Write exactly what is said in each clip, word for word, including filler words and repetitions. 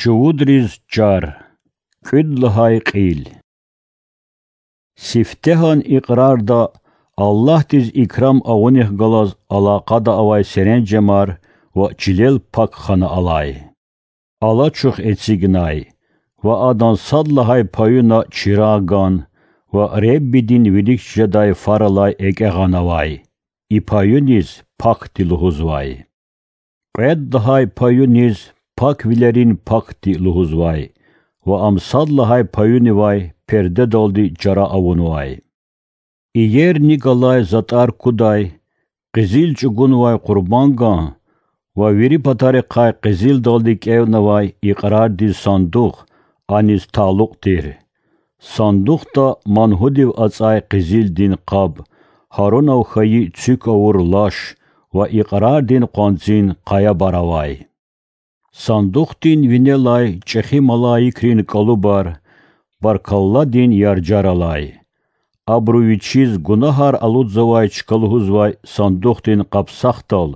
Чувудриз чар. КӀуьд лагьай кьил. Сифтегьан икьрарда Аллагьдиз икрам авунихъ галаз алакъада авай серенжемар ва чилел пак хана алай. Алачух эцигнай ва адан сад лагьай паюна чирагъ ган ва Реббидин вилик жедай фар алай экӀя гъанавай. И паюниз пакди лугьузвай. Кьвед лагьай паюниз паквилерин пакди лугьузвай ва ам сад лагьай паюнивай пердедалди чара авунвай. Иер ни галай затӀар кудай, къизил чӀугунвай къурбанган ва вири патарихъай къизилдалди кӀевнавай икьрардин сандух аниз талукь тир. Сандухда мангьудив ацӀай къизилдин къаб, Гьарунав хьайи цуьк авур лаш ва икьрардин къванцин къаябар авай. Сандухдин винелай чӀехи малаикрин кӀалубар, баркалладин яржар алай. Абуру вичиз гунагьар алудзавай чка лугьузвай сандухдин къапсахдал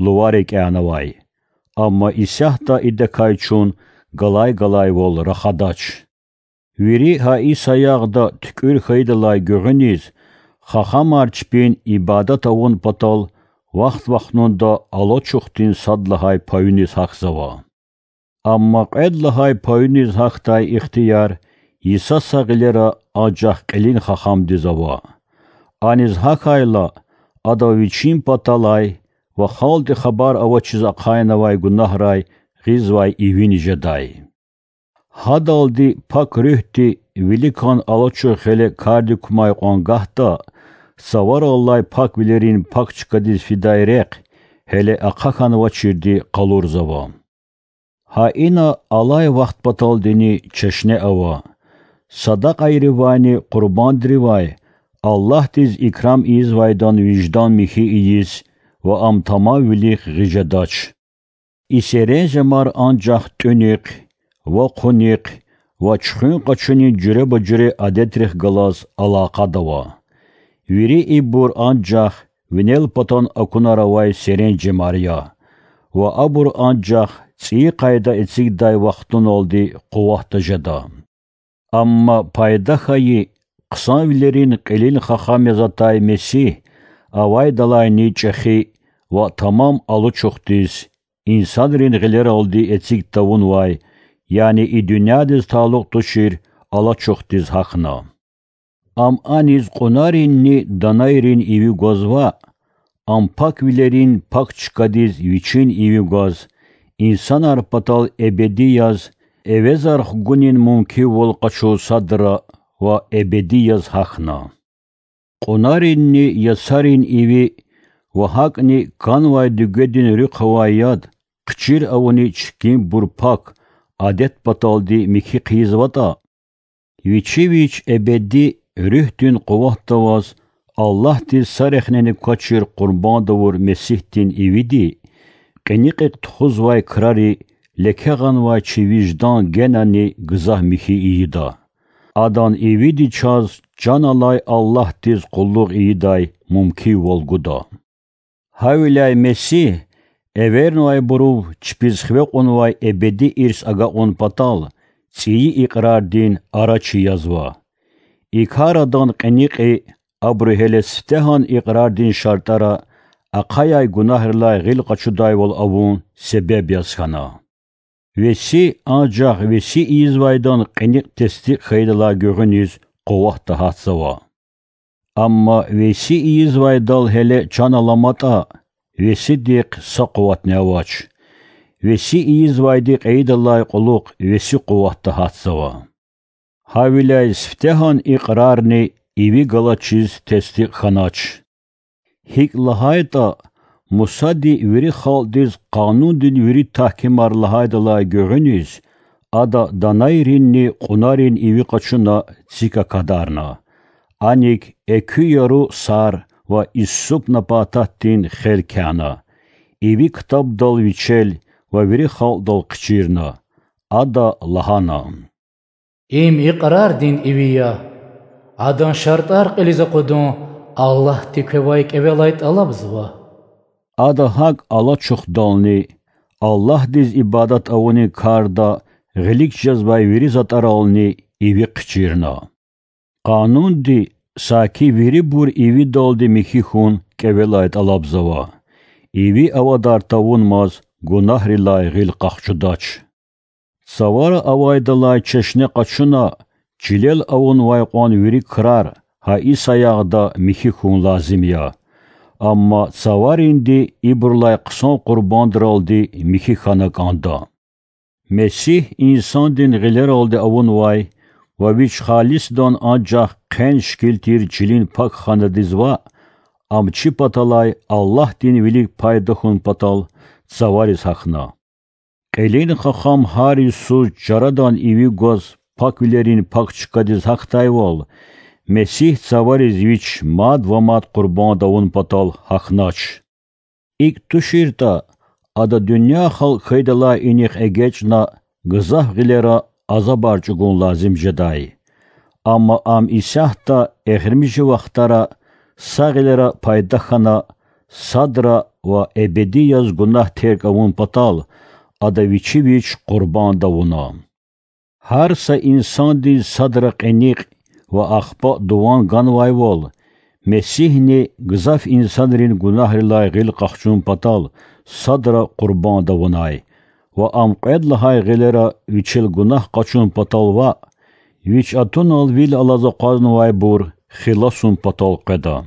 лувар экӀянавай. Амма исятда идакай чун галай-галайвал рахадач. Вири гьа и саягъда туькӀуьр хьайидалай гуьгъуьниз хахамар чпин ибадат авун патал вахт-вахтунда алачухдин сад лагьай паюниз гьахьзава. Амма кьвед лагьай паюниз гьахьдай ихтияр йиса са гъилера анжах кьилин хахамдиз ава. Аниз гьахьайла, ада вичин паталай ва халкьди хабар авачиз ахъайнавай гунагьрай гъизвай ивини жедай. Гьадалди Пак Руьгьди виликан алачух гъиле кардик кумай кьван гагьда, цавараллай паквилерин пак чкадиз фидай рехъ гьеле ахъа хьанвачирди къалурзава. Гьа ина алай вахт паталдини чешне ава, садакьайривайни къурбандривай Аллагьдиз икрам ийизвайдан виждан михьи ийиз ва ам тамамвилихъ гъиз жедач. И серенжемар анжах тӀуьнихъ ва хъунихъ ва чуьхуьн къачунин жуьреба-жуьре адетрихъ галаз алакъада ава. Вири ибур анжах винел патан акунар авай серенжемар я ва абур анжах цӀийи къайда эцигдай вахтуналди къуватда жеда. Амма пайда хьайи, хъсанвилерин кьилин хахам яз атай Месигь авайдалайни чӀехи ва тамам алачухдиз, инсанрин гъилералди эциг тавунвай, яни и дуьньядиз талукь тушир алачухдиз гьахьна. Ам аниз кьунаринни данайрин иви гваз ваъ, ам паквилерин пак чкадиз вичин иви гваз, инсанар патал эбеди яз, эвезар хгунин мумкивал къачуз садра ва эбеди яз гьахьна. Кьунаринни ясарин иви ва гьакӀни канвай дуьгведин руьхъ авай яд хъчир авуни чкинбур пак адет паталди михьи хъийизватӀа, вичи вич эбеди Руьгьдин къуватда аваз Аллагьдиз са рехнени квачир къурбанд авур Месигьдин ивиди, кьиникьихъ тухузвай крари леке гъанвай чи виждан генани гзаф михьи ийида. Адан ивиди чаз чан алай Аллагьдиз къуллугъ ийидай мумкинвал гуда. Гьавиляй Месигь эвернавайбурув чпиз хиве кьунвай эбеди ирс агакьун патал цӀийи икьрардин арачи язва. И кар адан кьиникьи абуру гьеле сифтегьан икьрардин шартӀара ахъаяй гунагьрилай гъил къачудайвал авун себеб яз хьана. Веси анжах веси ийизвайдан кьиникь тестикь хьайидалай гуьгъуьниз къуватда гьатзава. Амма веси ийизвайдал гьеле чан аламатӀа, весидихъ са къуватни авач. Веси ийизвайди кьейидалай кьулухъ веси къуватда гьатзава. Гьавиляй сифтегьан икьрарни иви галачиз тестикь хьанач. ГьикӀ лагьайтӀа, Мусади вири халкьдиз Къанундин вири тагькимар лагьайдалай гуьгъуьниз, ада данайринни кьунарин иви къачуна цик акадарна. АникӀ экуь яру сар ва иссуп напататдин хел кяна, иви ктабдал вичел ва вири халкьдал хъичирна. Ада лагьана: Им икьрардин иви я. Адан шартӀар кьилиз акъудун Аллагьди квевай кӀевелай тӀалабзава. Ада гьакӀ алачухдални, Аллагьдиз ибадат авунин карда гъилик жезвай вири затӀарални иви хъичирна. Къанунди саки вирибур ивидалди михьи хьун кӀевелай тӀалабзава, иви авадар тавунмаз гунагьрилай гъил къахчудач. Цавара авайдалай чешне къачуна, чилел авунвай кьван вири крар гьа и саягъда михьи хьун лазим я. Амма цаваринди ибурулай хъсан къурбандралди михьи хьана кӀанда. Месигь инсандин гъилералди авунвай ва вич халисдан анжах хъен шикил тир чилин пакханадиз ваъ, ам чи паталай Аллагьдин вилик пайда хьун патал цавариз гьахьна. Кьилин хахам гьар йисуз чарадан иви гваз паквилерин пак чкадиз гьахьдайвал, Месигь цавариз вич мад ва мад къурбанд авун патал гьахьнач. ИкӀ туширтӀа, ада дуьнья халкь хьайидалай инихъ эгечӀна гзаф гъилера азабар чӀугун лазим жедай. Амма ам исятда, эхиримжи вахтара, са гъилера пайда хьана, садра ва эбеди яз гунагь терг авун патал, ада вичи вич къурбанд авуна. Гьар са инсандиз садра кьиникь ва ахпа дуван ганвайвал, Месигьни гзаф инсанрин гунагьрилай гъил къахчун патал садра къурбанд авунай ва ам кьвед лагьай гъилера вичел гунагь къачун патал ваъ, вич атунал вил алаз акъвазнавайбур хиласун патал къведа.